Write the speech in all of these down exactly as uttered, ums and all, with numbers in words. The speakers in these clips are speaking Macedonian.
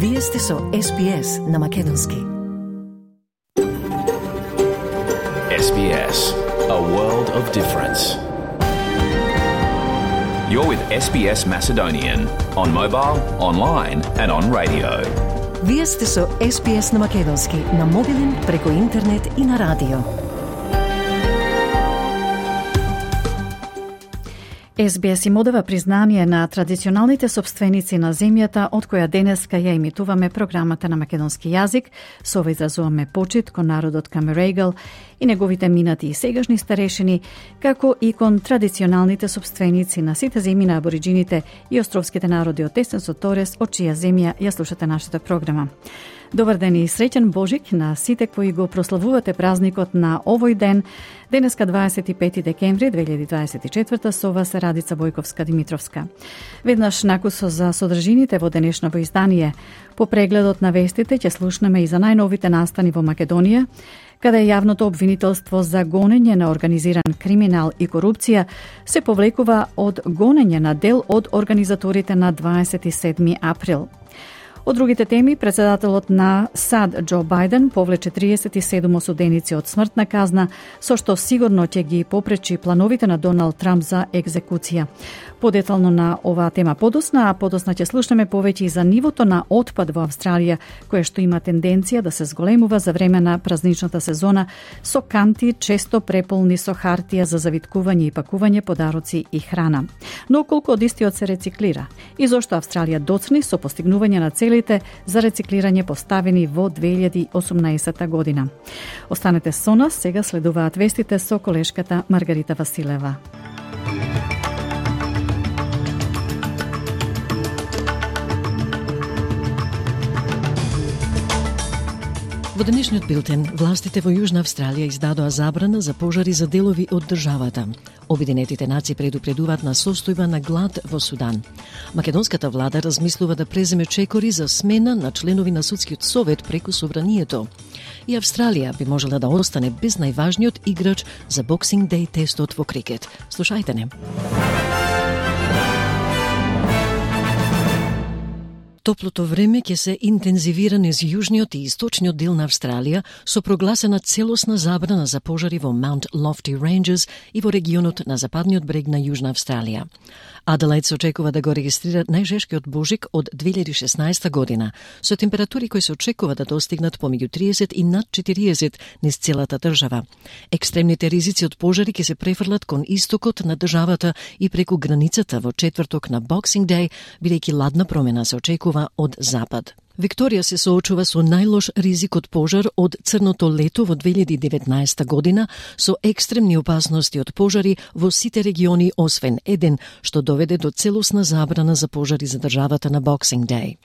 Вие сте со Ес Би Ес на Македонски. Ес Би Ес, a world of difference. You're with Ес Би Ес Macedonian on mobile, online and on radio. Вие сте со Ес Би Ес на Македонски на мобилен, преку интернет и на радио. Ес Би Ес им одава признание на традиционалните собственици на земјата од која денеска ја емитуваме програмата на македонски јазик. Со ова изразуваме почит кон народот Камерегал и неговите минати и сегашни старешини, како и кон традиционалните собственици на сите земји на абориджините и островските народи од Тесенсо Торес, од чија земја ја слушате нашата програма. Добар ден и среќен Божик на сите кои го прославувате празникот на овој ден, денеска дваесет и пети декември две илјади дваесет и четврта, со вас е Радица Бојковска-Димитровска. Веднаш накусо за содржините во денешново издание. По прегледот на вестите ќе слушнеме и за најновите настани во Македонија, каде јавното обвинителство за гонење на организиран криминал и корупција се повлекува од гонење на дел од организаторите на дваесет и седми април. Од другите теми, председателот на САД Џо Бајден повлече триесет и седум осуденици од смртна казна, со што сигурно ќе ги попречи плановите на Доналд Трамп за екзекуција. Подетално на оваа тема подосна, а подосна ќе слушнеме повеќе и за нивото на отпад во Австралија, кое што има тенденција да се зголемува за време на празничната сезона, со канти често преполни со хартија за завиткување и пакување подароци и храна. Но колку од истиот се рециклира? И зошто Австралија доцни со постигнување на целите за рециклирање поставени во две илјади и осумнаесетта година? Останете со нас, сега следуваат вестите со колешката Маргарита Василева. Во денешниот билтен, властите во Јужна Австралија издадоа забрана за пожари за делови од државата. Обединетите нации предупредуваат на состојба на глад во Судан. Македонската влада размислува да преземе чекори за смена на членови на судскиот совет преку собранието. И Австралија би можела да остане без најважниот играч за Boxing Day тестот во крикет. Слушајте не. Топлото време ќе се интензивира низ јужниот и источниот дел на Австралија со прогласена целосна забрана за пожари во Маунт Лофти Рейнџерс и во регионот на западниот брег на Јужна Австралија. Аделаид се очекува да го регистрира најжешкиот божик од две илјади и шеснаесетта година, со температури кои се очекува да достигнат помеѓу триесет и над четириесет низ целата држава. Екстремните ризици од пожари ќе се префрлат кон истокот на државата и преку границата во четврток на Boxing Day, бидејќи ладна промена се очекува од запад. Викторија се соочува со најлош ризик од пожар од црното лето во две илјади и деветнаесетта година, со екстремни опасности од пожари во сите региони освен еден, што доведе до целосна забрана за пожари за државата на Boxing Day.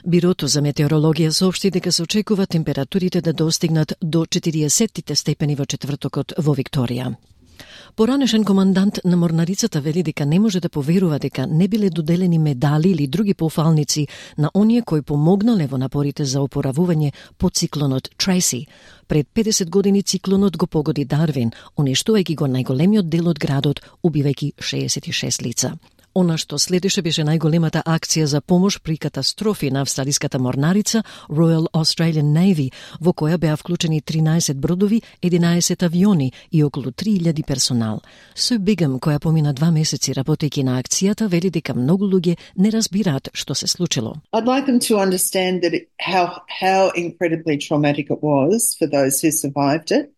Бирото за метеорологија соопшти дека се очекува температурите да достигнат до четириесет степени во четвртокот во Викторија. Поранешен командант на морнарицата вели дека не може да поверува дека не биле доделени медали или други пофалници на оние кои помогнале во напорите за опоравување по циклонот Трейси. Пред педесет години циклонот го погоди Дарвин, уништувајќи го најголемиот дел од градот, убивајќи шеесет и шест лица. Она што следеше беше најголемата акција за помош при катастрофи на австралиската морнарица Royal Australian Navy, во која беа вклучени тринаесет бродови, единаесет авиони и околу три илјади персонал. Су Бигам, која помина два месеци работејќи на акцијата, вели дека многу луѓе не разбираат што се случило. I'd like them to understand that it, how how incredibly traumatic it was for those who survived it.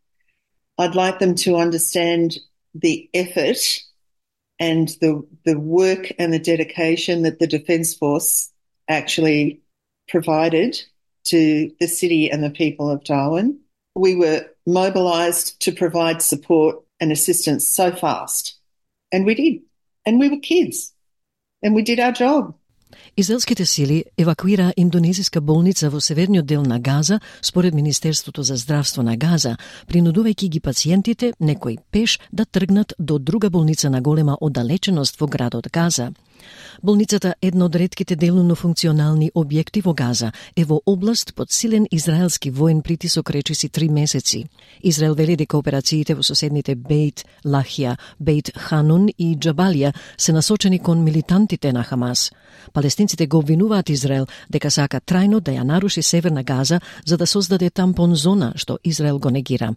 I'd like them to understand the effort and the the work and the dedication that the Defence Force actually provided to the city and the people of Darwin. We were mobilised to provide support and assistance so fast. And we did. And we were kids. And we did our job. Израелските сили евакуираа индонезиска болница во северниот дел на Газа, според Министерството за здравство на Газа, принудувајќи ги пациентите, некои пеш, да тргнат до друга болница на голема оддалеченост во градот Газа. Болницата, една од ретките делумно функционални објекти во Газа, е во област под силен израелски воен притисок речиси три месеци. Израел вели дека операциите во соседните Бейт Лахија, Бейт Ханун и Џабалија се насочени кон милитантите на Хамас. Палестинците го обвинуваат Израел дека сака трајно да ја наруши Северна Газа за да создаде тампон зона, што Израел го негира.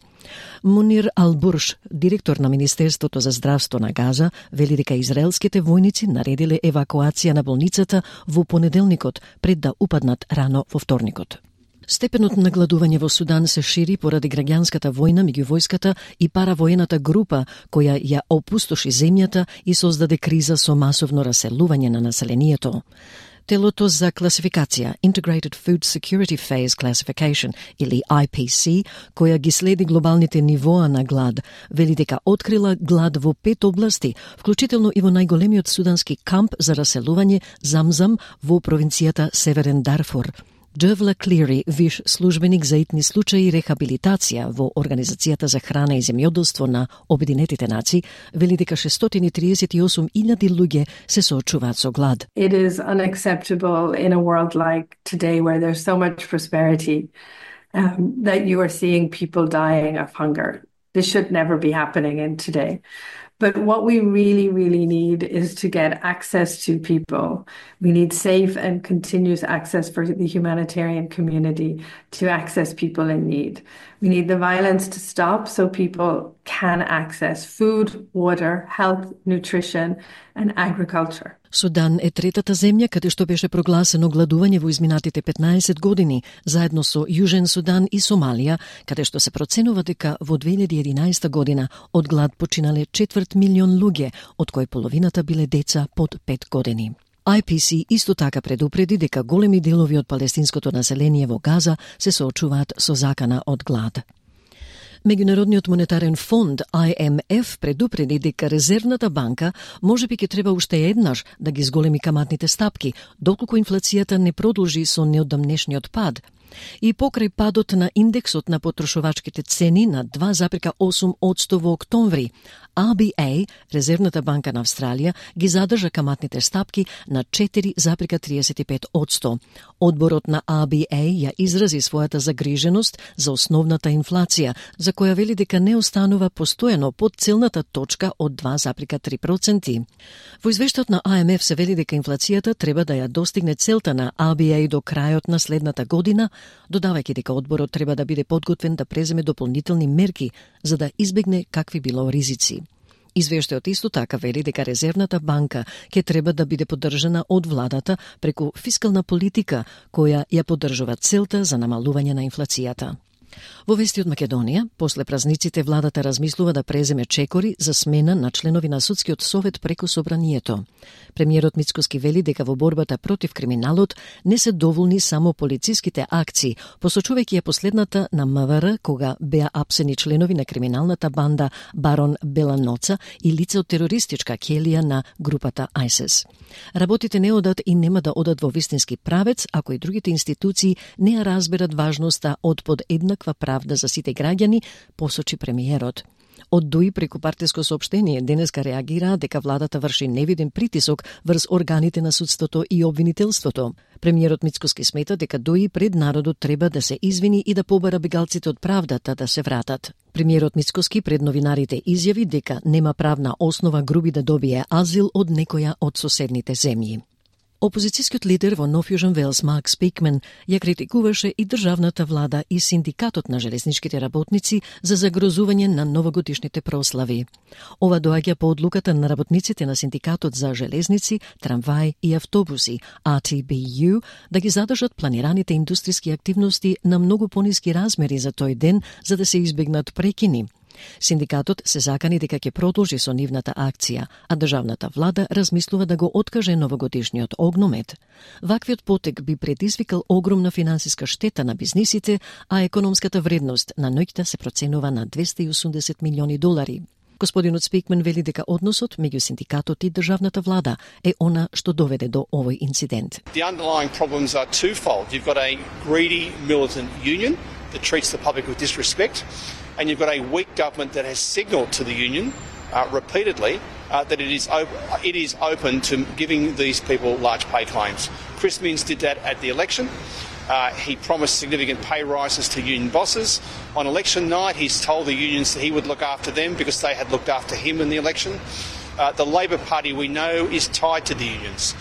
Мунир Ал-Бурш, директор на Министерството за здравство на Газа, вели дека израелските војници наредиле евакуација на болницата во понеделникот пред да упаднат рано во вторникот. Степенот на гладување во Судан се шири поради граѓанската војна меѓу војската и паравоената група која ја опустоши земјата и создаде криза со масовно раселување на населението. Телото за класификација, Integrated Food Security Phase Classification, или I P C, која ги следи глобалните нивоа на глад, вели дека открила глад во пет области, вклучително и во најголемиот судански камп за раселување Замзам во провинцијата Северен Дарфур. Джевла Клири, виш службеник за итни случаи и рехабилитација во Организацијата за храна и земјоделство на Обединетите нации, вели дека шестстотини триесет и осум илјади луѓе се соочуваат со глад. It is unacceptable in a world like today where there's so much prosperity um, that you are seeing people dying of hunger. This should never be happening in today. But what we really, really need is to get access to people. We need safe and continuous access for the humanitarian community to access people in need. We need the violence to stop so people can access food, water, health, nutrition, and agriculture. Судан е третата земја каде што беше прогласено гладување во изминатите петнаесет години, заедно со Јужен Судан и Сомалија, каде што се проценува дека во две илјади и единаесета година од глад починале четврт милион луѓе, од кои половината биле деца под пет години. I P C исто така предупреди дека големи делови од палестинското население во Газа се соочуваат со закана од глад. Меѓународниот монетарен фонд I M F предупреди дека Резервната банка можеби ќе треба уште еднаш да ги зголеми каматните стапки, доколку инфлацијата не продолжи со неодамнешниот пад. И покрај падот на индексот на потрошувачките цени на два зарез и осум одсто во октомври, R B A, Резервната банка на Австралија, ги задржа каматните стапки на четири зарез триесет и пет одсто. Одборот на R B A ја изрази својата загриженост за основната инфлација, за која вели дека не останува постојано под целната точка од два зарез три проценти. Во извештајот на I M F се вели дека инфлацијата треба да ја достигне целта на R B A до крајот на следната година, додавајќи дека одборот треба да биде подготвен да преземе дополнителни мерки за да избегне какви било ризици. Извештајот исто така вели дека Резервната банка ќе треба да биде поддржана од владата преку фискална политика која ја поддржува целта за намалување на инфлацијата. Во вести од Македонија, после празниците владата размислува да преземе чекори за смена на членови на судскиот совет преку собранието. Премиерот Мицкоски вели дека во борбата против криминалот не се доволни само полициските акции, посочувајќи ја последната на М В Р кога беа апсени членови на криминалната банда Барон Беланоца и лице од терористичка келија на групата ISIS. Работите не одат и нема да одат во вистински правец ако и другите институции не ја разберат важноста од подеднаква правда за сите граѓани, посочи премиерот. Од Дуи преку партиско соопштение денеска реагира дека владата врши невиден притисок врз органите на судството и обвинителството. Премиерот Мицкоски смета дека Дуи пред народот треба да се извини и да побара бегалците од правдата да се вратат. Премиерот Мицкоски пред новинарите изјави дека нема правна основа Груби да добие азил од некоја од соседните земји. Опозицијскиот лидер во Нов Јужен Велс Марк Спикмен ја критикуваше и државната влада и синдикатот на железничките работници за загрозување на новогодишните прослави. Ова доаѓа по одлуката на работниците на синдикатот за железници, трамваи и автобуси R T B U да ги задржат планираните индустријски активности на многу пониски размери за тој ден за да се избегнат прекини. Синдикатот се закани дека ќе продолжи со нивната акција, а државната влада размислува да го откаже новогодишниот огномет. Ваквиот потек би предизвикал огромна финансиска штета на бизнисите, а економската вредност на ноќта се проценува на двесте и осумдесет милиони долари. Господинот Спикмен вели дека односот меѓу синдикатот и државната влада е она што доведе до овој инцидент. The underlying problems are twofold. You've got a greedy militant union that treats the public with disrespect, and you've got a weak government that has signalled to the union uh, repeatedly uh, that it is op- it is open to giving these people large pay claims. Chris Minns did that at the election. Uh, he promised significant pay rises to union bosses. On election night, he's told the unions that he would look after them because they had looked after him in the election. Uh, the Labor Party, we know, is tied to the unions.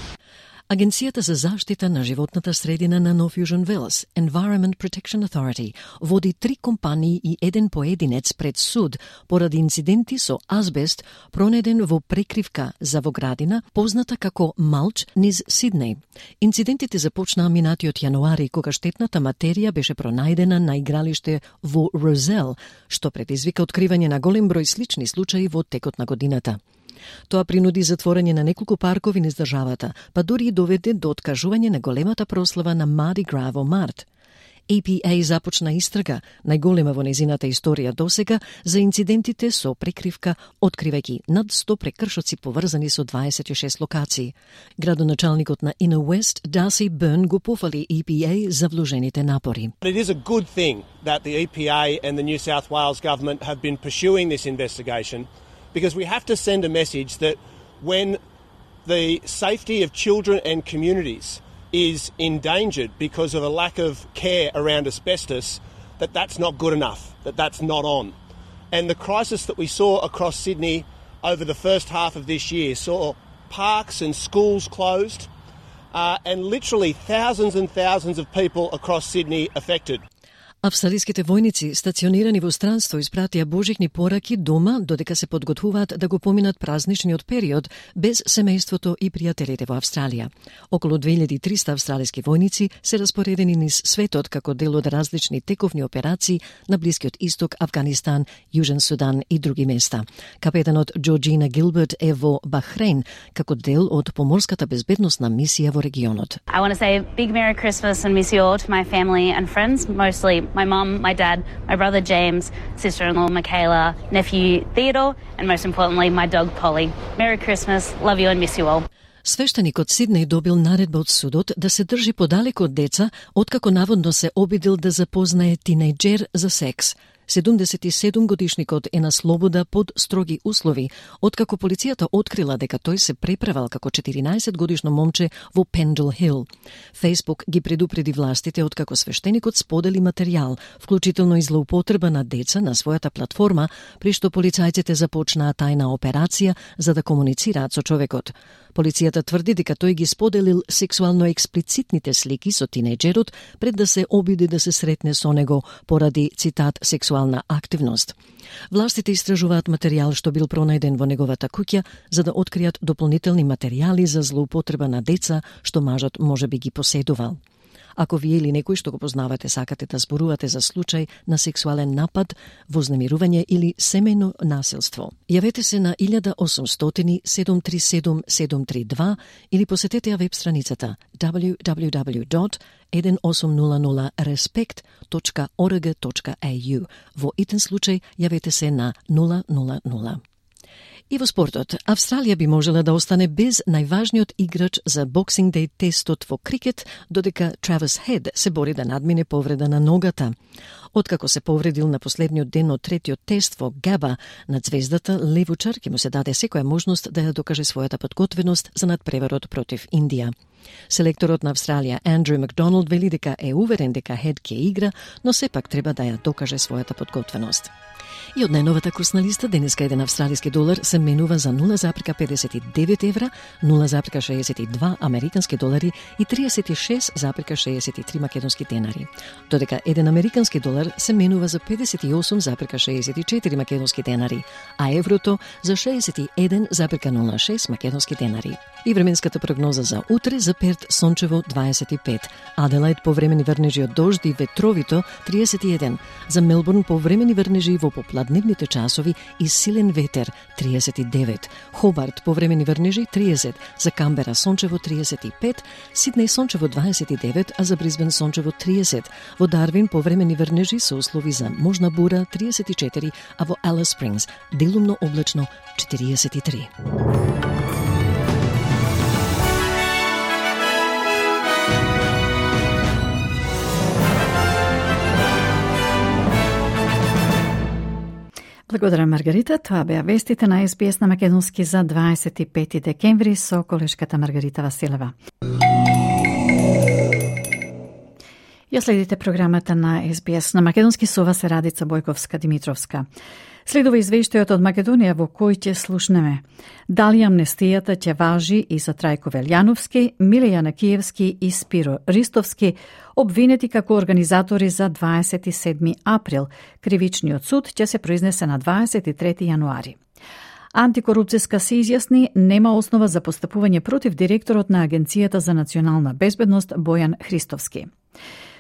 Агенцијата за заштита на животната средина на Нов Јужен Велс, Environment Protection Authority, води три компании и еден поединец пред суд поради инциденти со азбест пронеден во прекривка за во градина, позната како Малч низ Сиднеј. Инцидентите започнаа минатиот јануари, кога штетната материја беше пронајдена на игралиште во Розел, што предизвика откривање на голем број слични случаи во текот на годината. Тоа принуди затворање на неколку паркови низ државата, па дури и доведе до откажување на големата прослава на Mardi Gras во март. A P A започна истрага, најголема во незината историја досега, за инцидентите со прекривка, откривајќи над сто прекршоци поврзани со дваесет и шест локации. Градоначалникот на Inner West, Darcy Byrne, го пофали A P A за вложените напори. It is a good thing that the E P A and the New South Wales government have been pursuing this investigation, because we have to send a message that when the safety of children and communities is endangered because of a lack of care around asbestos, that that's not good enough, that that's not on. And the crisis that we saw across Sydney over the first half of this year saw parks and schools closed, uh, and literally thousands and thousands of people across Sydney affected. Австралиските војници, стационирани во странство, испратија божични пораки дома додека се подготвуваат да го поминат празничниот период без семејството и пријателите во Австралија. Околу две илјади и триста австралиски војници се распоредени низ светот како дел од различни тековни операции на Блискиот Исток, Авганистан, Јужен Судан и други места. Капетанот Джорджина Гилберт е во Бахрейн како дел од поморската безбедносна мисија во регионот. I want to say a big Merry Christmas and miss you all to my family and friends, mostly my mum, my dad, my brother James, sister-in-law Michaela, nephew Theodore, and most importantly, my dog Polly. Merry Christmas, love you and miss you all. Свештеникот Сиднеј добил наредба од судот да се држи подалеку од деца, откако наводно се обидел да запознае тинејџер за секс. седумдесет и седум годишникот е на слобода под строги услови, откако полицијата открила дека тој се преправал како четиринаесет годишно момче во Пенджел Хил. Фејсбук ги предупреди властите откако свештеникот сподели материјал, вклучително и злоупотреба на деца на својата платформа, при што полицајците започнаа тајна операција за да комуницираат со човекот. Полицијата тврди дека тој ги споделил сексуално експлицитните слики со тинејџерот пред да се обиди да се сретне со него поради, цитат, сексуална активност. Властите истражуваат материјал што бил пронајден во неговата куќа за да откријат дополнителни материјали за злоупотреба на деца што мажот може би ги поседувал. Ако вие или некој што го познавате сакате да зборувате за случај на сексуален напад, вознемирување или семејно насилство, јавете се на еден осумстотини седум три седум седум три два или посетете ја веб страницата дабљу дабљу дабљу точка еден осум нула нула респект точка орг точка е ю. Во итен случај јавете се на нула нула нула. И во спортот, Австралија би можела да остане без најважниот играч за Boxing Day тестот во крикет, додека Травис Хед се бори да надмине повреда на ногата. Откако се повредил на последниот ден од третиот тест во Габа над звездата, левучар ќе му се даде секоја можност да ја докаже својата подготвеност за надпреварот против Индија. Селекторот на Австралија Андрю Макдоналд вели дека е уверен дека Хед ќе игра, но сепак треба да ја докаже својата подготвеност. И од најновата курсна листа, денеска еден австралиски долар се менува за нула запирка педесет и девет евра, нула запирка шеесет и два американски долари и триесет и шест запирка шеесет и три македонски денари. Додека еден американски долар се менува за педесет и осум запирка шеесет и четири македонски денари, а еврото за шеесет и еден запирка нула шест македонски денари. И временската прогноза за утре: за Перт сончево дваесет и пет, Аделаид повремени врнежи од дожд и ветровито триесет и еден, за Мелбурн повремени врнежи во попладневните часови и силен ветер триесет и девет, Хобарт повремени врнежи триесет, за Камбера сончево триесет и пет, Сиднеј сончево дваесет и девет, а за Брисбен сончево триесет, во Дарвин повремени врнежи со услови за можна бура триесет и четири, а во Алис Спрингс делумно облачно четириесет и три. Благодарам, Маргарита. Тоа беа вестите на Ес Би Ес на македонски за дваесет и пети декември со колешката Маргарита Василева. Ја следите програмата на Ес Би Ес на македонски со вас е Радица Бојковска-Димитровска. Следува извештајот од Македонија во кој ќе слушнеме дали амнестијата ќе важи и за Трајко Велјановски, Миле Јанакиевски и Спиро Ристовски, обвинети како организатори за дваесет и седми април. Кривичниот суд ќе се произнесе на дваесет и трети јануари. Антикорупцијска се изјасни нема основа за постапување против директорот на Агенцијата за национална безбедност Бојан Христовски.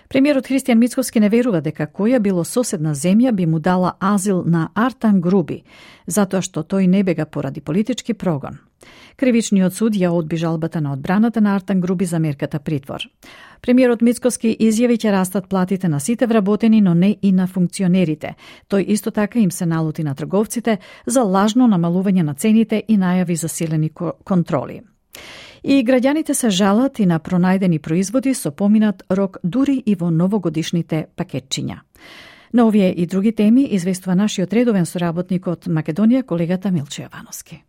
Премиерот Христијан Мицковски не верува дека која било соседна земја би му дала азил на Артан Груби, затоа што тој не бега поради политички прогон. Кривичниот суд ја одби жалбата на одбраната на Артан Груби за мерката притвор. Премиерот Мицковски изјави ќе растат платите на сите вработени, но не и на функционерите. Тој исто така им се налути на трговците за лажно намалување на цените и најави за силени контроли. И граѓаните се жалат и на пронајдени производи со поминат рок дури и во новогодишните пакетчиња. На овие и други теми известува нашиот редовен соработник од Македонија, колегата Милче Јовановски.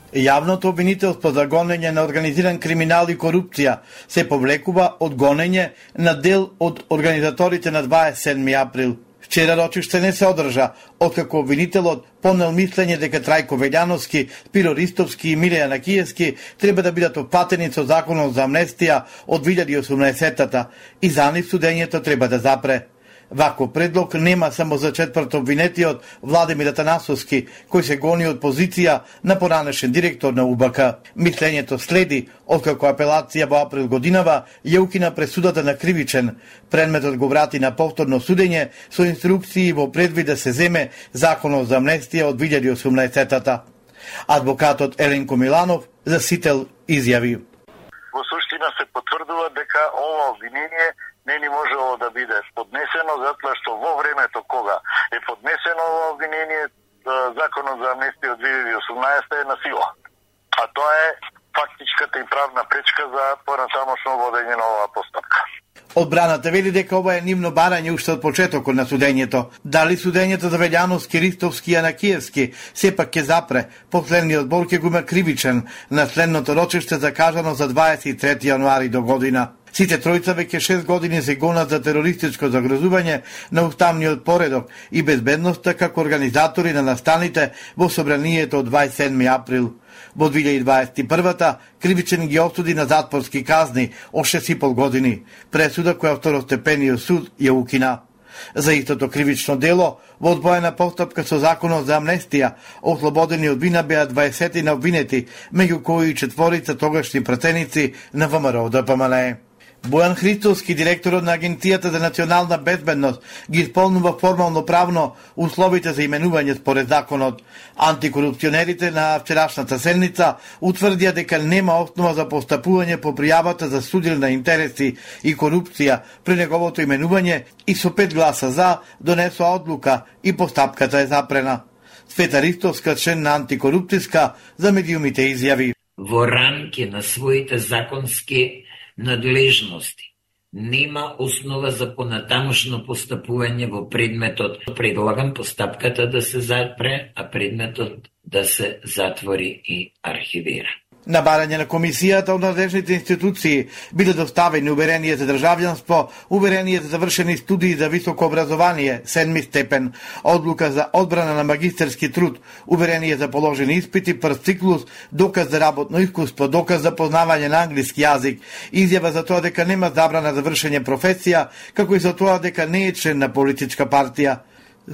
Јавното обвинителство за гонење на организиран криминал и корупција се повлекува од гонење на дел од организаторите на дваесет и седми април. Вчера рочиште не се одржа, откако обвинителот понел мислење дека Трајко Велјановски, Спиро Ристовски и Миле Јанакиевски треба да бидат опатени со законот за амнестија од две илјади и осумнаесеттата и за нив судењето треба да запре. Вако предлог нема само за четврт обвинетиот Владимир Атанасовски, кој се гони од позиција на поранешен директор на У Б К. Мислењето следи, откако апелација во април годинава ја укина пресудата на кривичен. Предметот го врати на повторно судење со инструкции во предвид да се земе законот за амнестија од две илјади и осумнаесеттата. Адвокатот Еленко Миланов за Сител изјави: Во суштина се потврдува дека ова обвинение не ни можело да биде поднесено, затоа што во времето кога е поднесено ова обвинение, законот за амнестија од две илјади и осумнаесета е на сила. А тоа е фактичката и правна пречка за понатамошно водење на оваа постапка. Одбраната вели дека ова е нивно барање уште од почетокот на судењето. Дали судењето за Велјановски, Ристовски и Јанакиевски сепак ќе запре, последниот збор ќе го има кривичен на следното рочиште закажано за дваесет и трети јануари до година. Сите тројца веќе шест години се гонат за терористичко загрозување на уставниот поредок и безбедноста како организатори на настаните во собранието од дваесет и седми април. Во две илјади и дваесет и првата кривичен ги осуди на затворски казни од шест и пол години, пресуда која второстепениот суд ја укина. За истото кривично дело, во одвоена постапка со законот за амнестија, ослободени од вина беа дваесет на обвинети, меѓу кои и четворица тогашни пратеници на Вэ М Р Д П М Л Е. Бојан Христовски, директорот на Агенцијата за национална безбедност, ги исполнува формално правно условите за именување според законот. Антикорупционерите на вчерашната седница утврдија дека нема основа за постапување по пријавата за судил на интереси и корупција при неговото именување и со пет гласа за донесоа одлука и постапката е запрена. Света Ристовска, член на антикорупцијска, за медиумите изјави: Во рамки на своите законски надлежности нема основа за понатамошно постапување во предметот. Предлагам постапката да се запре, а предметот да се затвори и архивира. На барање на комисијата од надлежните институции биле доставени уверение за државјанство, уверение за завршени студии за високо образование, седми степен, одлука за одбрана на магистерски труд, уверение за положени испити, прв циклус, доказ за работно искуство, доказ за познавање на англиски јазик, изјава за тоа дека нема забрана за вршење професија, како и за тоа дека не е член на политичка партија.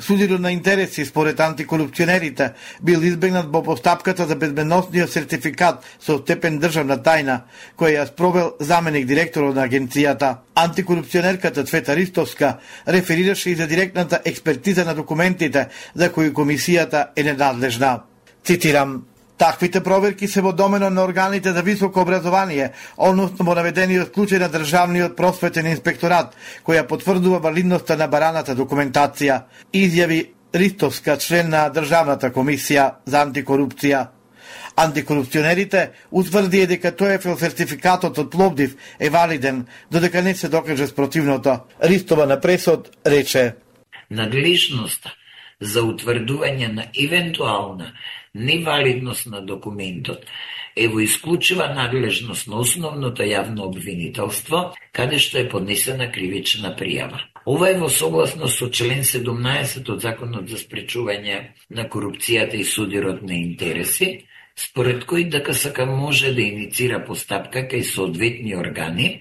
Судирот на интереси според антикорупционерите бил избегнат во постапката за безбедносниот сертификат со степен државна тајна, која ја спровел заменик директорот на агенцијата. Антикорупционерката Цвета Ристовска реферираше и за директната експертиза на документите за кои комисијата е ненадлежна. Цитирам: Таквите проверки се во доменот на органите за високо образование, односно во наведениот случај на Државниот просветен инспекторат, која потврдува валидноста на бараната документација, изјави Ристовска, член на Државната комисија за антикорупција. Антикорупционерите утврдија дека ТОЕФЛ сертификатот од Пловдив е валиден, додека не се докаже спротивното. Ристова на пресод рече: надлежноста за утврдување на евентуална невалидност на документот е во исклучива надлежност на основното јавно обвинителство, каде што е поднесена кривична пријава. Ова е во согласност со член седумнаесет од Законот за спречување на корупцијата и судирот на интереси, според кој ДКСК може да иницира постапка кај соодветни органи,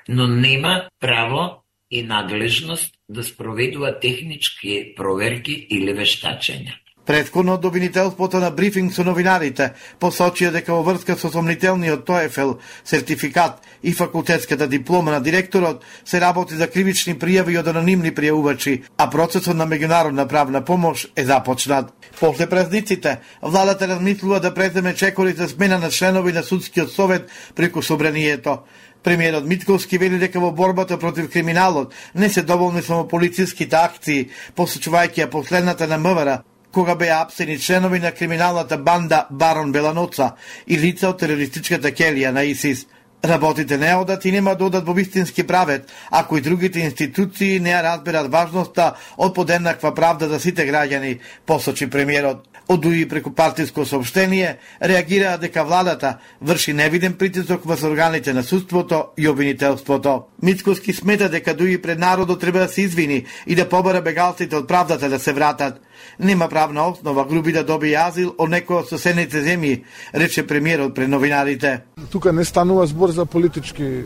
но нема право и надлежност да спроведува технички проверки или вештачења. Претходно од обвинителството на брифинг со новинарите посочија дека во врска со сомнителниот ТОЕФЛ сертификат и факултетската диплома на директорот се работи за кривични пријави од анонимни пријавувачи, а процесот на меѓународна правна помош е започнат. После празниците, владата размислува да преземе чекори за смена на членови на судскиот совет преку собранието. Премиерот Митковски вели дека во борбата против криминалот не се доволни само полициските акции, посочувајќи ја последната на МВР, кога беа апсени членови на криминалната банда Барон Беланоца и лица од терористичката келија на ИСИС. Работите не одат и нема да одат во вистински правет, ако и другите институции не ја разберат важноста од подеднаква правда за сите граѓани, посочи премиерот. Од ДУИ преку партиско соопштение реагираа дека владата врши невиден притисок врз органите на судството и обвинителството. Мицковски смета дека ДУИ пред народот треба да се извини и да побара бегалците од правдата да се вратат. Нема правна основа груби да добие азил од некој од соседните земји, рече премиерот пред новинарите. Тука не станува збор за политички е,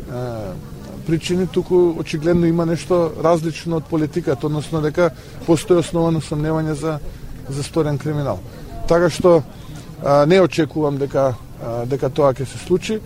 причини, туку очигледно има нешто различно од политиката, односно дека постои основано сомневање за за сторен криминал. Така што а, не очекувам дека а, дека тоа ќе се случи,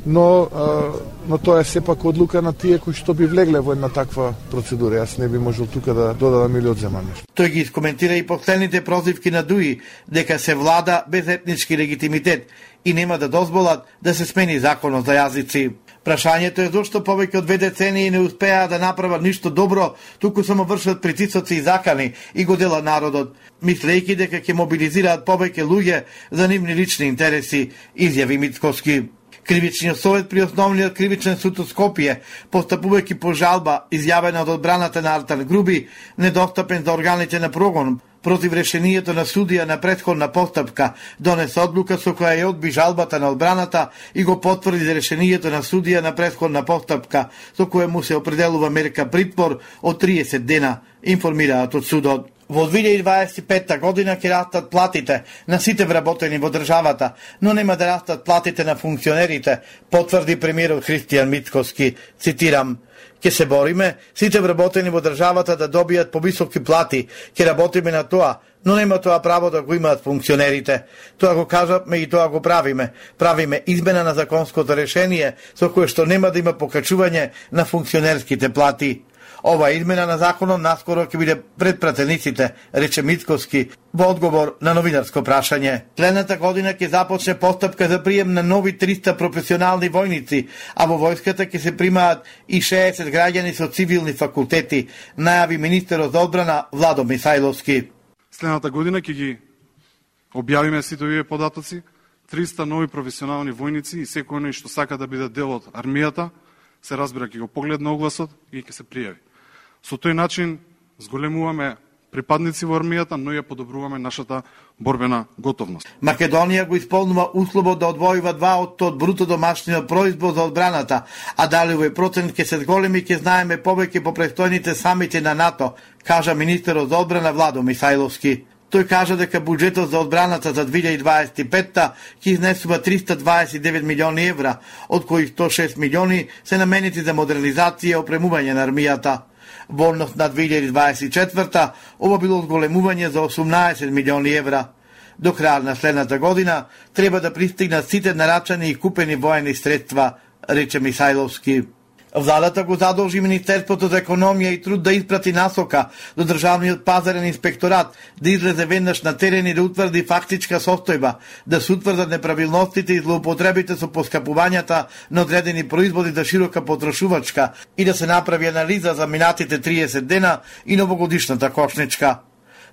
но а, но тоа е сепак одлука на тие кои што би влегле во една таква процедура. Јас не би можел тука да додадам или одземам нешто. Тој ги искоментира и последните прозивки на ДУИ дека се влада без етнички легитимитет и нема да дозволат да се смени законот за јазици. Прашањето е зошто повеќе од две децении не успеа да направат ништо добро, туку само вршат притисоци и закани и го делат народот, мислејќи дека ќе мобилизираат повеќе луѓе за нивни лични интереси, изјави Мицковски. Кривичниот совет при основниот кривичен суд од Скопје, постапувајќи по жалба изјавена од одбраната на Артан Груби, недостапен за органите на прогон, против решението на судија на претходна постапка, донесе одлука со која ја одби жалбата на одбраната и го потврди за решението на судија на претходна постапка, со која му се определува мерка притвор од триесет дена, информираат од судот. Во две илјади дваесет и петта година ќе растат платите на сите вработени во државата, но нема да растат платите на функционерите, потврди премиерот Христијан Мицковски, цитирам: "Ќе се бориме сите вработени во државата да добијат повисоки плати, ќе работиме на тоа, но нема тоа право да го имаат функционерите. Тоа го кажавме и тоа го правиме. Правиме измена на законското решение со кое што нема да има покачување на функционерските плати." Ова измена на законот наскоро ќе биде пред пратениците, рече Мицковски во одговор на новинарско прашање. Следната година ќе започне постапка за прием на нови триста професионални војници, а во војската ќе се примаат и шеесет граѓани со цивилни факултети, најави министерот за одбрана Владо Михајловски. Следната година ќе ги објавиме сите овие податоци, триста нови професионални војници и секој оној што сака да биде дел од армијата, се разбира ќе го погледне огласот и ќе се пријави. Со тој начин зголемуваме припадници во армијата, но ја подобруваме нашата борбена готовност. Македонија го исполнува условот да одвојува два од бруто домашниот производ за одбраната, а дали овој процент ќе се зголеми ќе знаеме повеќе по престојните самити на НАТО, кажа министерот за одбрана Владо Михајловски. Тој кажа дека буџетот за одбраната за две илјади дваесет и петта ќе изнесува триста дваесет и девет милиони евра, од кои сто и шест милиони се наменети за модернизација и опремување на армијата. Во однос на две илјади дваесет и четврта, ова било зголемување за осумнаесет милиони евра. До крај на следната година треба да пристигнат сите нарачани и купени воени средства, рече Михајловски. Владата го задолжи Министерството за економија и труд да испрати насока до Државниот пазарен инспекторат, да излезе веднаш на терен и да утврди фактичка состојба, да се утврдат неправилностите и злоупотребите со поскапувањата на одредени производи за широка потрошувачка и да се направи анализа за минатите триесет дена и новогодишната кошничка.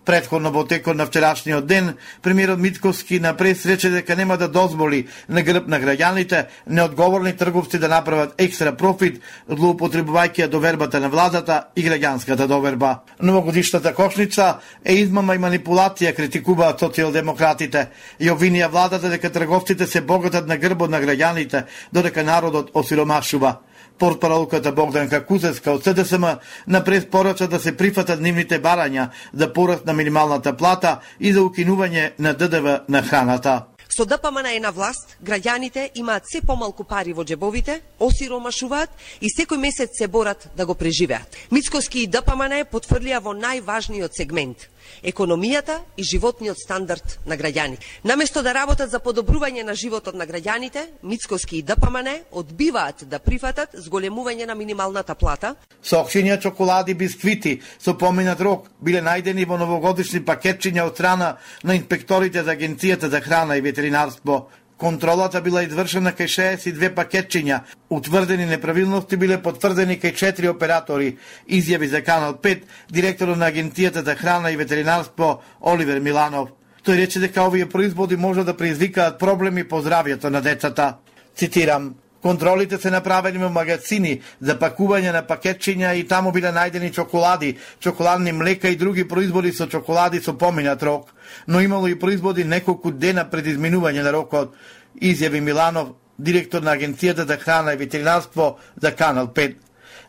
Предходно во текот на вчерашниот ден, премиерот Мицкоски на прес рече дека нема да дозволи на грб на граѓаните неодговорни трговци да направат екстра профит, злоупотребувајќи довербата на владата и граѓанската доверба. Новогодишната кошница е измама и манипулација, критикуваат социјалдемократите и обвинија владата дека трговците се богатат на грбот на граѓаните, додека народот осиромашува. Портпаролката Богданка Кузеска од С Д С М на прес порача да се прифатат нивните барања за пораст на минималната плата и за укинување на Д Д В на храната. Со Д П М Н на власт, граѓаните имаат се помалку пари во џебовите, осиромашуваат и секој месец се борат да го преживеат. Мицкоски и Д П М Н потврдија во најважниот сегмент – економијата и животниот стандард на граѓаните. Наместо да работат за подобрување на животот на граѓаните, Мицкоски и Д П М Н одбиваат да прифатат зголемување на минималната плата. Сокчиња, чоколади, бисквити со поминат рок биле најдени во новогодишни пакетчиња од страна на инспекторите за Агенцијата за храна и ветеринарство. Контролата била извршена кај шеесет и две пакетчиња. Утврдени неправилности биле потврдени кај четири оператори, изјави за Канал пет директорот на Агенцијата за храна и ветеринарство Оливер Миланов. Тој рече дека овие производи може да предизвикаат проблеми по здравјето на децата. Цитирам: контролите се направени во магазини за пакување на пакетчиња и таму биле најдени чоколади, чоколадни млека и други производи со чоколади со поминат рок, но имало и производи неколку дена пред изминување на рокот, изјави Миланов, директор на Агенцијата за храна и ветеринарство за Канал пет.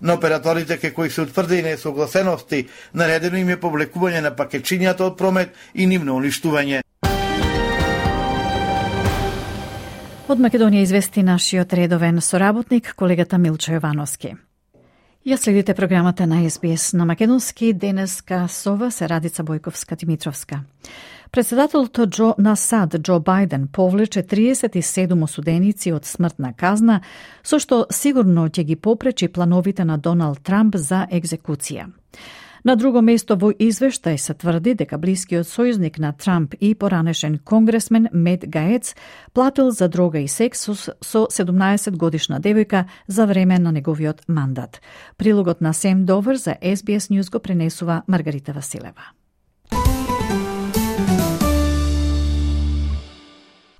На операторите кај кои се утврдени несогласености, наредено им е повлекување на пакетчињата од промет и нивно уништување. Од Македонија извести нашиот редовен соработник, колегата Милчо Јовановски. Ја следите програмата на С Б С на македонски, денеска со вас е Радица Бојковска-Димитровска. Председателот Джо, на САД Џо Бајден повлече триесет и седум осуденици од смртна казна, со што сигурно ќе ги попречи плановите на Доналд Трамп за екзекуција. На друго место во извештај се тврди дека блискиот сојузник на Трамп и поранешен конгресмен Мет Гаец платил за дрога и секс со седумнаесет годишна девојка за време на неговиот мандат. Прилогот на Сем Довер за С Б С News го пренесува Маргарита Василева.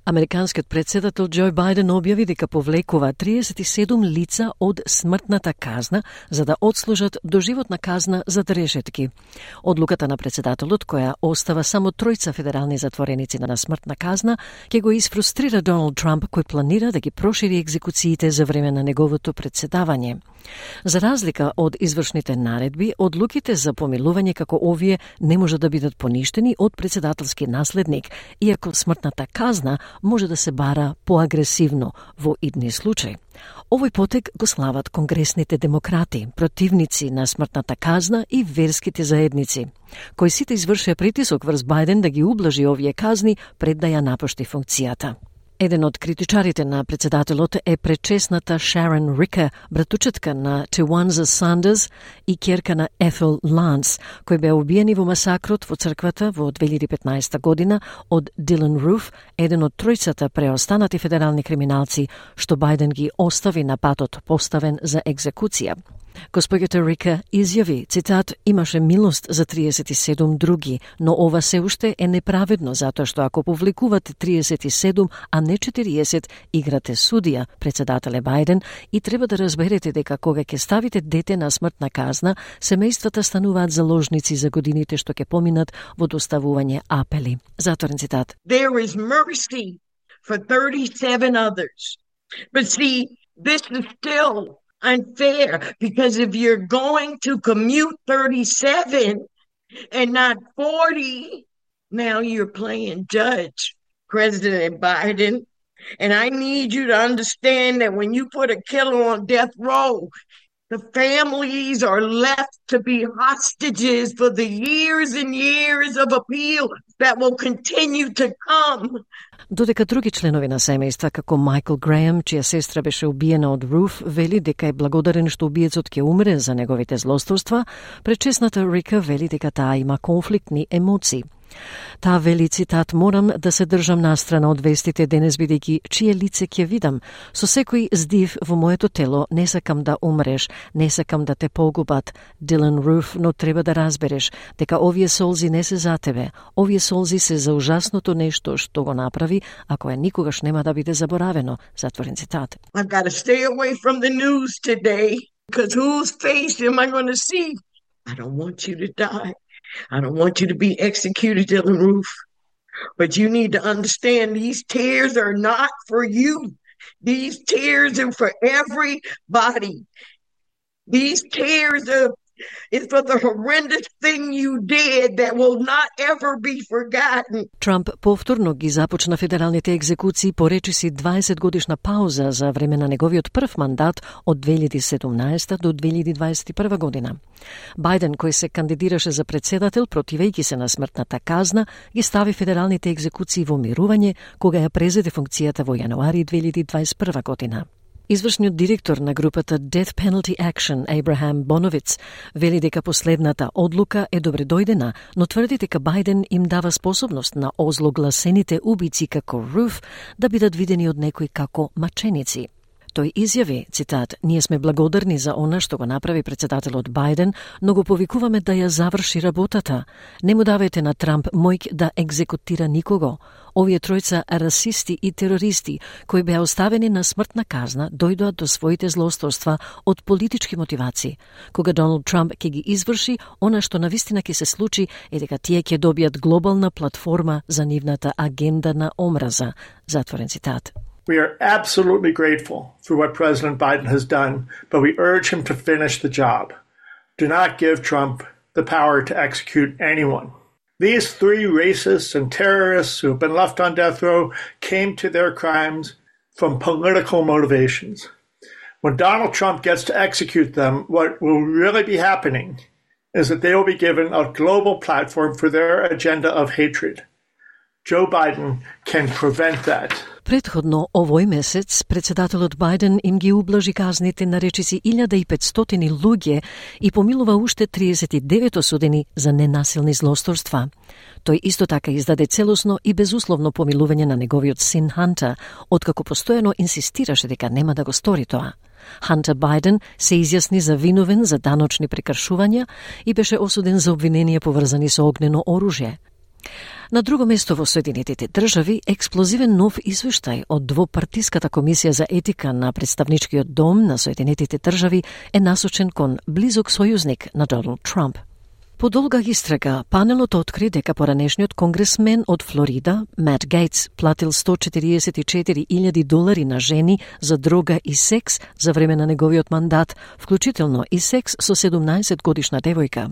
Американскиот председател Џо Бајден објави дека повлекува триесет и седум лица од смртната казна за да одслужат доживотна казна за решетки. Одлуката на председателот, која остава само тројца федерални затвореници на смртна казна, ќе го изфрустрира Доналд Трамп, кој планира да ги прошири екзекуциите за време на неговото председавање. За разлика од извршните наредби, одлуките за помилување како овие не може да бидат поништени од председателски наследник, иако смртната казна може да се бара поагресивно во идни случаи. Овој потек го слават конгресните демократи, противници на смртната казна и верските заедници, кои сите извршија притисок врз Бајден да ги ублажи овие казни пред да ја напушти функцијата. Еден од критичарите на председателот е пречесната Шарон Рика, братучетка на Тиуанза Сандерс и ќерка на Ethel Lance, кои беа убиени во масакрот во црквата во две илјади и петнаесета година од Дилан Руф, еден од тројцата преостанати федерални криминалци, што Бајден ги остави на патот поставен за екзекуција. Госпоѓата Рика изјави, цитат, имаше милост за триесет и седум други, но ова се уште е неправедно, затоа што ако повлекувате триесет и седум, а не четириесет, играте судија, председателе Бајден, и треба да разберете дека кога ќе ставите дете на смртна казна, семејствата стануваат заложници за годините што ќе поминат во доставување апели. Затворен цитат. There is mercy for thirty-seven others. But see, this is still unfair, because if you're going to commute thirty-seven and not forty, now you're playing judge, President Biden. And I need you to understand that when you put a killer on death row, the families are left to be hostages for the years and years of appeal that will continue to come. Додека други членови на семејства, како Майкл Грејам, чија сестра беше убиена од Руф, вели дека е благодарен што убиецот ќе умре за неговите злосторства, пречесната Рика вели дека таа има конфликтни емоции. Таа вели, цитат, морам да се држам настрана од вестите денес бидејќи чие лице ќе видам. Со секој здив во моето тело не сакам да умреш, не сакам да те погубат. Дилан Руф, но треба да разбереш дека овие солзи не се за тебе. Овие солзи се за ужасното нешто што го направи, а кое никогаш нема да биде заборавено. Затворен цитат. I've got to stay away from the news today because whose face am I going to see? I don't want you to die. I don't want you to be executed, Dylan Roof. But you need to understand these tears are not for you. These tears are for everybody. These tears are is for the horrendous thing you did that will not ever be forgotten. Трамп повторно ги започна федералните екзекуции по речиси дваесет годишна пауза за време на неговиот прв мандат од две илјади и седумнаесета до две илјади дваесет и прва година. Бајден, кој се кандидираше за председател противејќи се на смртната казна, ги стави федералните екзекуции во мирување кога ја презеде функцијата во јануари две илјади дваесет и прва година. Извршниот директор на групата Death Penalty Action, Абрахам Боновиц, вели дека последната одлука е добредојдена, но тврди дека Бајден им дава способност на озлогласените убици како Руф да бидат видени од некои како маченици. Тој изјави, цитат, ние сме благодарни за она што го направи председателот Бајден, но го повикуваме да ја заврши работата. Не му давајте на Трамп мојк да екзекутира никого. Овие тројца расисти и терористи, кои беа оставени на смртна казна, дојдоа до своите злосторства од политички мотивации. Кога Доналд Трамп ќе ги изврши, она што навистина ќе се случи е дека тие ќе добијат глобална платформа за нивната агенда на омраза. Затворен цитат. We are absolutely grateful for what President Biden has done, but we urge him to finish the job. Do not give Trump the power to execute anyone. These three racists and terrorists who have been left on death row came to their crimes from political motivations. When Donald Trump gets to execute them, what will really be happening is that they will be given a global platform for their agenda of hatred. Joe Biden can prevent that. Предходно овој месец председателот Бајден им ги ублажи казните на речиси илјада и петстотини луѓе и помилува уште триесет и девет осудени за ненасилни злосторства. Тој исто така издаде целосно и безусловно помилување на неговиот син Хантер, откако постојано инсистираше дека нема да го стори тоа. Хантер Бајден се изјасни за виновен за даночни прекршувања и беше осуден за обвиненија поврзани со огнено оружје. На друго место во Соединетите држави, експлозивен нов извештај од двопартиската комисија за етика на представничкиот дом на Соединетите држави е насочен кон близок сојузник на Доналд Трамп. По долга истрага, панелот откри дека поранешниот конгресмен од Флорида, Мат Гейтс, платил сто четириесет и четири илјади долари на жени за дрога и секс за време на неговиот мандат, вклучително и секс со седумнаесет годишна девојка.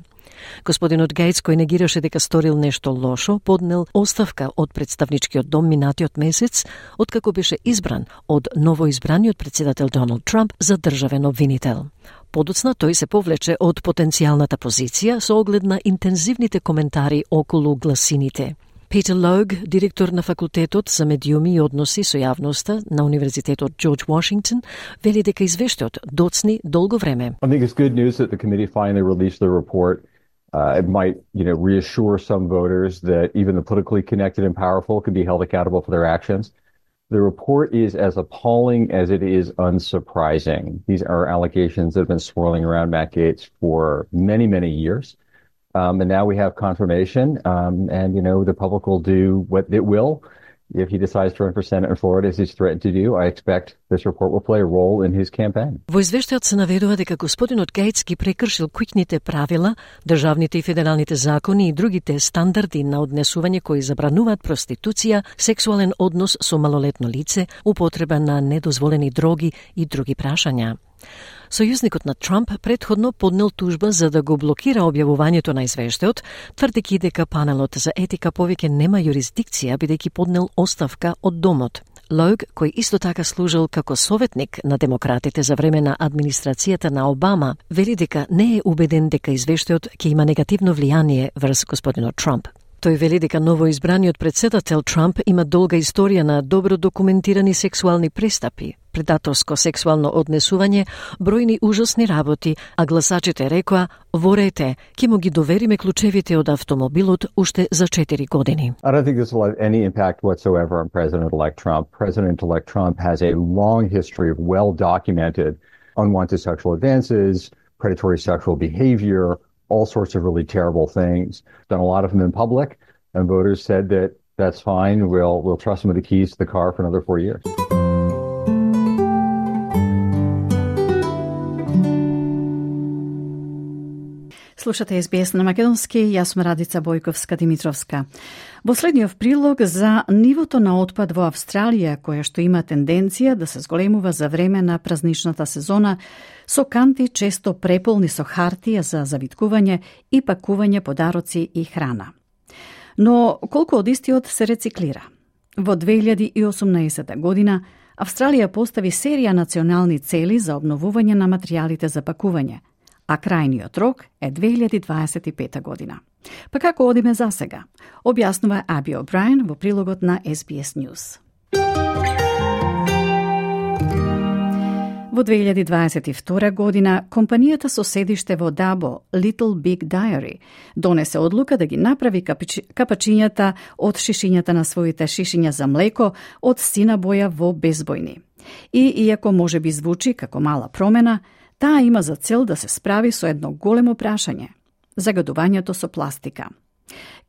Господинот Гейтс, кој негираше дека сторил нешто лошо, поднел оставка од представничкиот дом минатиот месец, откако беше избран од новоизбраниот председател Доналд Трамп за државен обвинител. Подоцна тој се повлече од потенцијалната позиција со оглед на интензивните коментари околу гласините. Питер Лог, директор на факултетот за медиуми и односи со јавноста на Универзитетот Джордж Вашингтон, вели дека извештајот доцни долго време. I think it's good news that the committee finally released the report. Uh, it might, you know, reassure some voters that even the politically connected and powerful can be held accountable for their actions. The report is as appalling as it is unsurprising. These are allegations that have been swirling around Matt Gaetz for many, many years. Um, and now we have confirmation. Um, and, you know, the public will do what it will. If he decides to run for Senate in Florida, as he's threatened to do, I expect this report will play a role in his campaign. Во извештајот се наведува дека господинот Гейтс ги прекршил куќните правила, државните и федералните закони и другите стандарди на однесување кои забрануваат проституција, сексуален однос со малолетно лице, употреба на недозволени дроги и други прашања. Сојузникот на Трамп предходно поднел тужба за да го блокира објавувањето на извештајот, тврдејќи дека панелот за етика повеќе нема јурисдикција бидејќи поднел оставка од домот. Лог, кој исто така служил како советник на демократите за време на администрацијата на Обама, вели дека не е убеден дека извештајот ќе има негативно влијание врз господинот Трамп. Тој вели дека новоизбраниот претседател Трамп има долга историја на добро документирани сексуални престапи, предаторско сексуално однесување, бројни ужасни работи, а гласачите рекоа: "Ворете, ќе му ги довериме клучевите од автомобилот уште за четири години." I don't think this will have any impact whatsoever on President-elect Trump. President-elect Trump has a long history of well-documented unwanted sexual advances, predatory sexual behavior, all sorts of really terrible things. Done a lot of them in public, and voters said that that's fine. We'll we'll trust him with the keys to the car for another four years. Слушате Ес Би Ес на македонски, јас сум Радица Бојковска-Димитровска. Во следниот прилог за нивото на отпад во Австралија, која што има тенденција да се зголемува за време на празничната сезона, со канти често преполни со хартија за завиткување и пакување подароци и храна. Но колку од истиот се рециклира? Во две илјади и осумнаесета година Австралија постави серија национални цели за обновување на материјалите за пакување, а крајниот рок е две илјади дваесет и пета година. Па како одиме за сега? Објаснува Аби О'Брајен во прилогот на Ес Би Ес News. Во две илјади дваесет и втора година, компанијата со седиште во Дабо, Little Big Dairy, донесе одлука да ги направи капачињата од шишињата на своите шишиња за млеко од сина боја во безбојни. И иако може би звучи како мала промена, таа има за цел да се справи со едно големо прашање – загадувањето со пластика.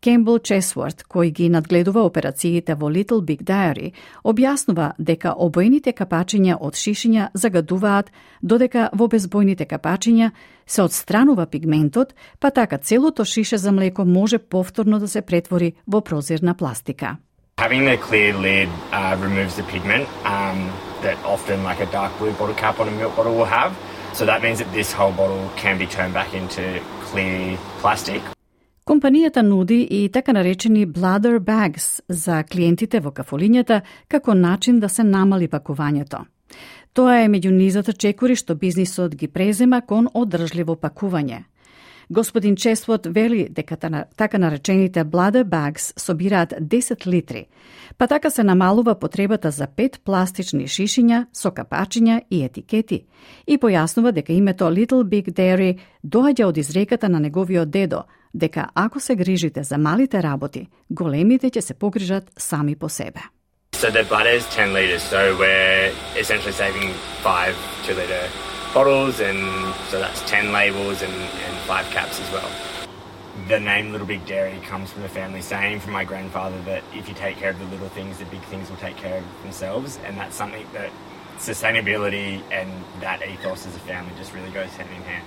Кембл Чесворт, кој ги надгледува операциите во Little Big Dairy, објаснува дека обојните капачиња од шишиња загадуваат, додека во безбојните капачиња се отстранува пигментот, па така целото шише за млеко може повторно да се претвори во прозирна пластика. Having the clear lid uh, removes the pigment um, that often like a dark blue bottle cap on a milk bottle will have. So that means that this whole bottle can be turned back into clear plastic. Компанијата нуди и така наречени bladder bags за клиентите во кафулињата како начин да се намали пакувањето. Тоа е меѓу низата чекори што бизнисот ги презема кон одржливо пакување. Господин Чесвот вели дека така наречените bladder bags собираат десет литри, па така се намалува потребата за пет пластични шишиња со капачиња и етикети и појаснува дека името Little Big Dairy доаѓа од изреката на неговиот дедо, дека ако се грижите за малите работи, големите ќе се погрижат сами по себе. So the bladder is ten liters, so we're essentially saving five two-liter bottles, and so that's ten labels and, and five caps as well. The name Little Big Dairy comes from the family saying from my grandfather that if you take care of the little things, the big things will take care of themselves, and that's something that sustainability and that ethos as a family just really goes hand in hand.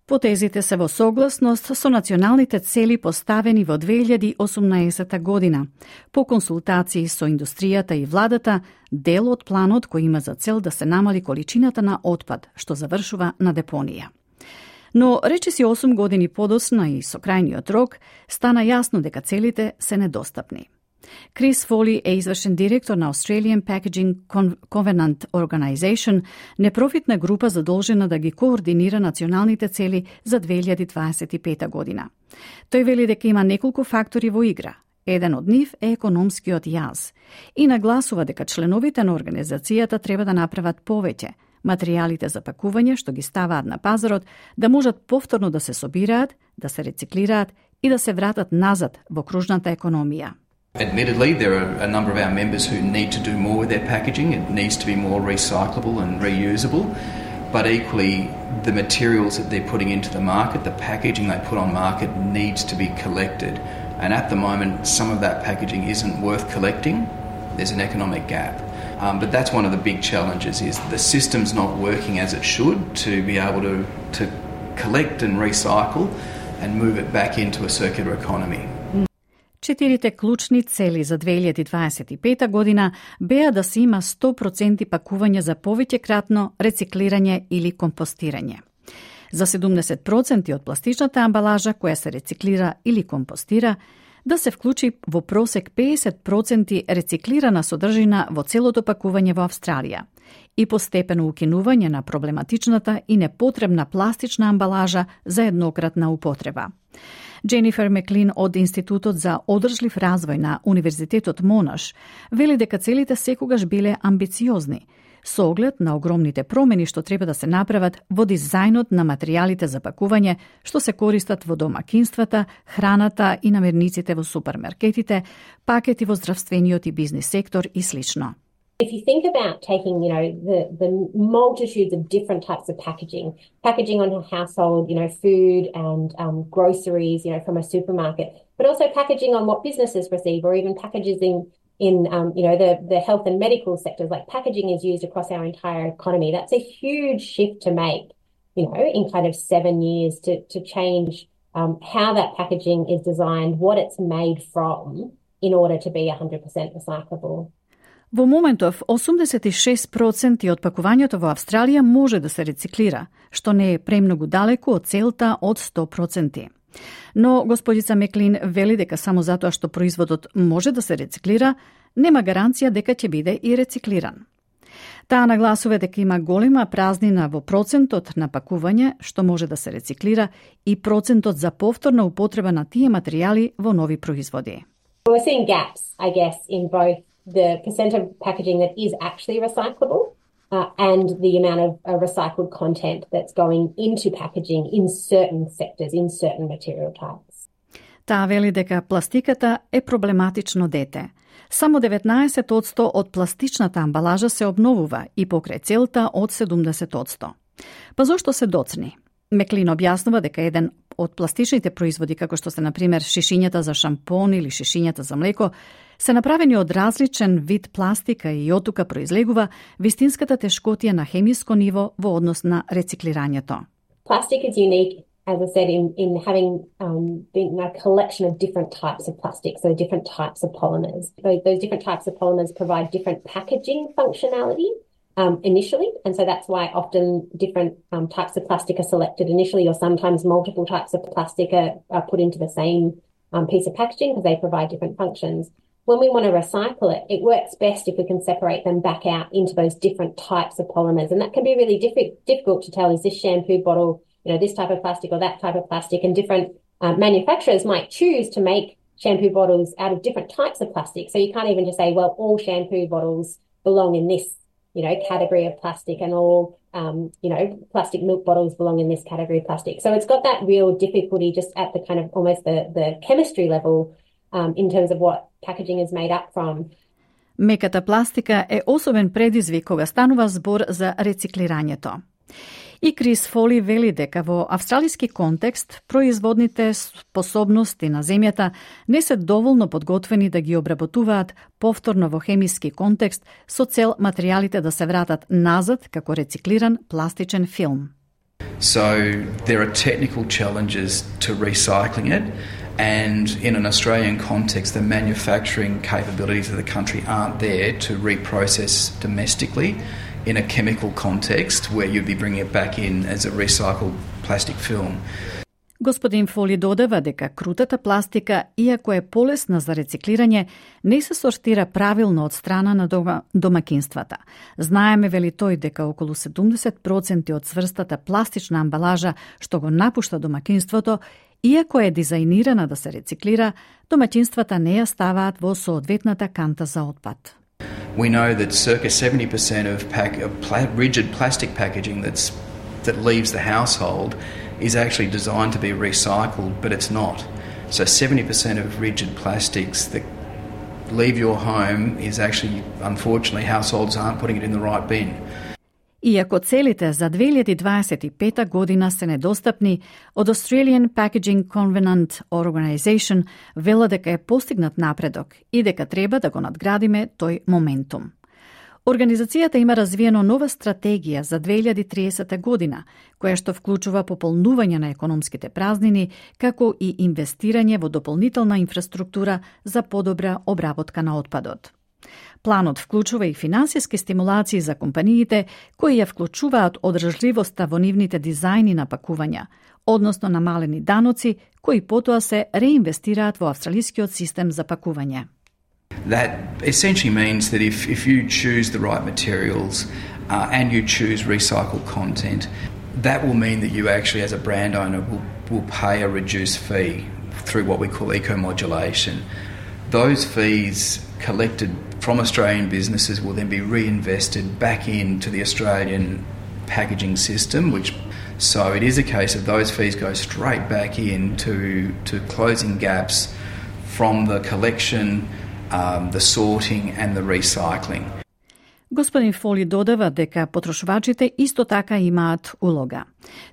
Потезите се во согласност со националните цели поставени во две илјади и осумнаесета година. По консултации со индустријата и владата, дел од планот кој има за цел да се намали количината на отпад, што завршува на депонија. Но речиси осум години подосна и со крајниот рок, стана јасно дека целите се недостапни. Крис Фоли е извршен директор на Australian Packaging Covenant Organization, непрофитна група задолжена да ги координира националните цели за две илјади дваесет и пета година. Тој вели дека има неколку фактори во игра. Еден од нив е економскиот јаз и нагласува дека членовите на организацијата треба да направат повеќе, материјалите за пакување што ги ставаат на пазарот да можат повторно да се собираат, да се рециклираат и да се вратат назад во кружната економија. Admittedly, there are a number of our members who need to do more with their packaging. It needs to be more recyclable and reusable. But equally, the materials that they're putting into the market, the packaging they put on market needs to be collected. And at the moment, some of that packaging isn't worth collecting. There's an economic gap. Um, but that's one of the big challenges is the system's not working as it should to be able to, to collect and recycle and move it back into a circular economy. Четирите клучни цели за две илјади дваесет и пета година беа да се има сто проценти пакување за повеќекратно рециклирање или компостирање. За седумдесет проценти од пластичната амбалажа која се рециклира или компостира, да се вклучи во просек педесет проценти рециклирана содржина во целото пакување во Австралија и постепено укинување на проблематичната и непотребна пластична амбалажа за еднократна употреба. Дженифер Меклин од Институтот за одржлив развој на Универзитетот Монаш вели дека целите секогаш биле амбициозни, со оглед на огромните промени што треба да се направат во дизајнот на материјалите за пакување што се користат во домакинствата, храната и намирниците во супермаркетите, пакети во здравствениот и бизнис сектор и слично. If you think about taking, you know, the, the multitudes of different types of packaging, packaging on a household, you know, food and um, groceries, you know, from a supermarket, but also packaging on what businesses receive, or even packaging in, um, you know, the, the health and medical sectors, like packaging is used across our entire economy. That's a huge shift to make, you know, in kind of seven years to, to change um, how that packaging is designed, what it's made from, in order to be one hundred percent recyclable. Во моментов, осумдесет и шест проценти од пакувањето во Австралија може да се рециклира, што не е премногу далеку од целта од сто проценти. Но господица Меклин вели дека само затоа што производот може да се рециклира, нема гаранција дека ќе биде и рециклиран. Таа нагласува дека има голема празнина во процентот на пакување што може да се рециклира и процентот за повторна употреба на тие материјали во нови производи. We're seeing gaps, I guess, in both the percent of packaging that is actually recyclable uh, and the amount of uh, recycled content that's going into packaging in certain sectors, in certain material types. Таа вели дека пластиката е проблематично дете. Само деветнаесет одсто од пластичната амбалажа се обновува и покрај целта од седумдесет одсто. Па зошто се доцни? Меклин објаснува дека еден од пластичните производи, како што се, например, шишињата за шампон или шишињата за млеко, се направени од различен вид пластика и оттука произлегува вистинската тешкотија на хемиско ниво во однос на рециклирањето. Plastic is unique, as I said, in, in having um, been a collection of different types of plastic, so different types of polymers. Those, those different types of polymers provide different packaging functionality um, initially, and so that's why often different um, types of plastic are selected initially, or sometimes multiple types of plastic are, are put into the same um, piece of packaging because they provide different functions. When we want to recycle it, it works best if we can separate them back out into those different types of polymers. And that can be really diff- difficult to tell, is this shampoo bottle, you know, this type of plastic or that type of plastic? And different uh, manufacturers might choose to make shampoo bottles out of different types of plastic. So you can't even just say, well, all shampoo bottles belong in this, you know, category of plastic, and all, um, you know, plastic milk bottles belong in this category of plastic. So it's got that real difficulty just at the kind of almost the, the chemistry level um, in terms of what packaging is made up from. Меката пластика е особен предизвик кога станува збор за рециклирањето. И Крис Фоли вели дека во австралиски контекст производните способности на земјата не се доволно подготвени да ги обработуваат повторно во хемиски контекст со цел материјалите да се вратат назад како рециклиран пластичен филм. So there are technical challenges to recycling it, and in an Australian context the manufacturing capabilities of the country aren't there to reprocess domestically in a chemical context where you'd be bringing it back in as a recycled plastic film. Господин Фоли додава дека крутата пластика, иако е полесна за рециклирање, не се сортира правилно од страна на дома, домакинствата. Знаеме, вели тој, дека околу седумдесет проценти од цврстата пластична амбалажа што го напушта домакинството, иако е дизајнирана да се рециклира, домаќинствата не ја ставаат во соодветната канта за отпад. We know that circa seventy percent of, pack, of pla- rigid plastic packaging that's, that leaves the household is actually designed to be recycled, but it's not. So seventy percent of rigid plastics that leave your home is actually, unfortunately, households aren't putting it in the right bin. Иако целите за две илјади дваесет и пета година се недостапни, од Australian Packaging Covenant Organization вела дека е постигнат напредок и дека треба да го надградиме тој моментум. Организацијата има развиено нова стратегија за две илјади триесета година, која што вклучува пополнување на економските празнини, како и инвестирање во дополнителна инфраструктура за подобра обработка на отпадот. Планот вклучува и финансиски стимулации за компаниите кои ја вклучуваат одржливоста во нивните дизајни на пакувања, односно намалени даноци кои потоа се реинвестираат во австралискиот систем за пакување. That essentially means that if, if you choose the right materials uh, and you choose recycled content, that will mean that you actually as a brand owner will, will pay a reduced fee through what we call eco-modulation. Those fees collected from Australian businesses will then be reinvested back into the Australian packaging system, which so it is a case of those fees go straight back in to, to closing gaps from the collection, um, the sorting and the recycling. Господин Фоли додава дека потрошувачите исто така имаат улога.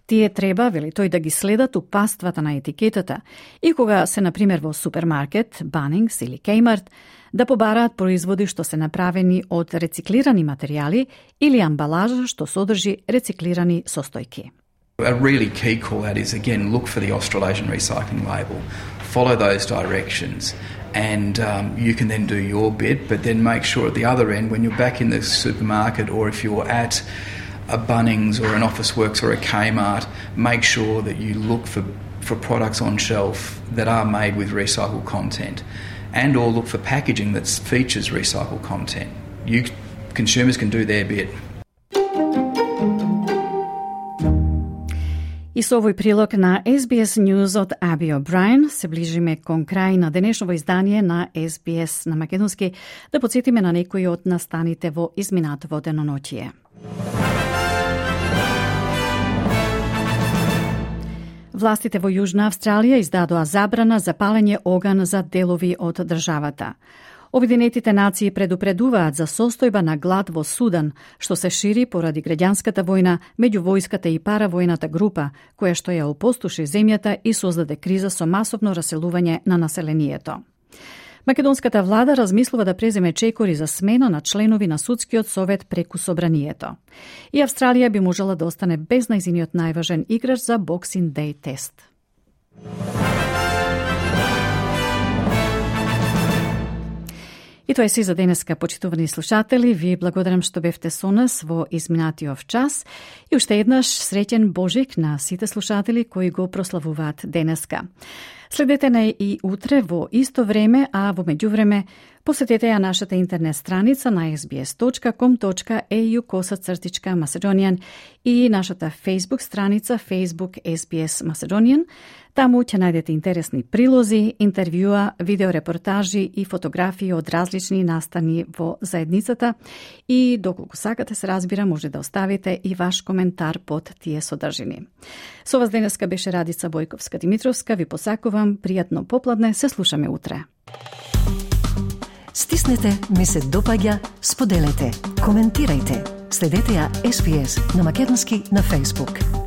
Тие треба, вели тој, да ги следат упаствата на етикетата и кога се, например, во супермаркет, Bunnings или Kmart, да побараат производи што се направени од рециклирани материјали или амбалажа што содржи рециклирани состојки. A really key call out is, again, look for the Australasian recycling label. Follow those directions and um, you can then do your bit, but then make sure at the other end, when you're back in the supermarket or if you're at a Bunnings or an Officeworks or a Kmart, make sure that you look for, for products on shelf that are made with recycled content and or look for packaging that features recycled content. You consumers can do their bit. И со овој прилог на Ес Би Ес News од Аби О'Брајн се ближиме кон крај на денешново издание на Ес Би Ес на македонски, да подсетиме на некои од настаните во изминатово деноноќие. Властите во Јужна Австралија издадоа забрана за палење оган за делови од државата. Обединетите нации предупредуваат за состојба на глад во Судан, што се шири поради граѓанската војна меѓу војската и паравојната група, која што ја опустоши земјата и создаде криза со масовно раселување на населението. Македонската влада размислува да преземе чекори за смена на членови на судскиот совет преку собранието. И Австралија би можела да остане без најзиниот најважен играч за Boxing Day тест. И тоа е се за денеска, почитувани слушатели. Ви благодарам што бевте со нас во изминатиот час и уште еднаш среќен Божик на сите слушатели кои го прославуваат денеска. Следете на и утре во исто време, а во меѓувреме посетете ја нашата интернет страница на ес би ес точка ком точка ей ю косацртичка Macedonian и нашата Facebook страница Facebook Ес Би Ес Macedonian. Таму ќе најдете интересни прилози, интервјуа, видеорепортажи и фотографии од различни настани во заедницата и доколку сакате, се разбира, може да оставите и ваш коментар под тие содржини. Со вас денеска беше Радица Бојковска-Димитровска. Ви посакувам пријатно попладне, се слушаме утре. Стиснете, ми се допаѓа, споделете, коментирајте. Следете ја Ес Би Ес на македонски на Facebook.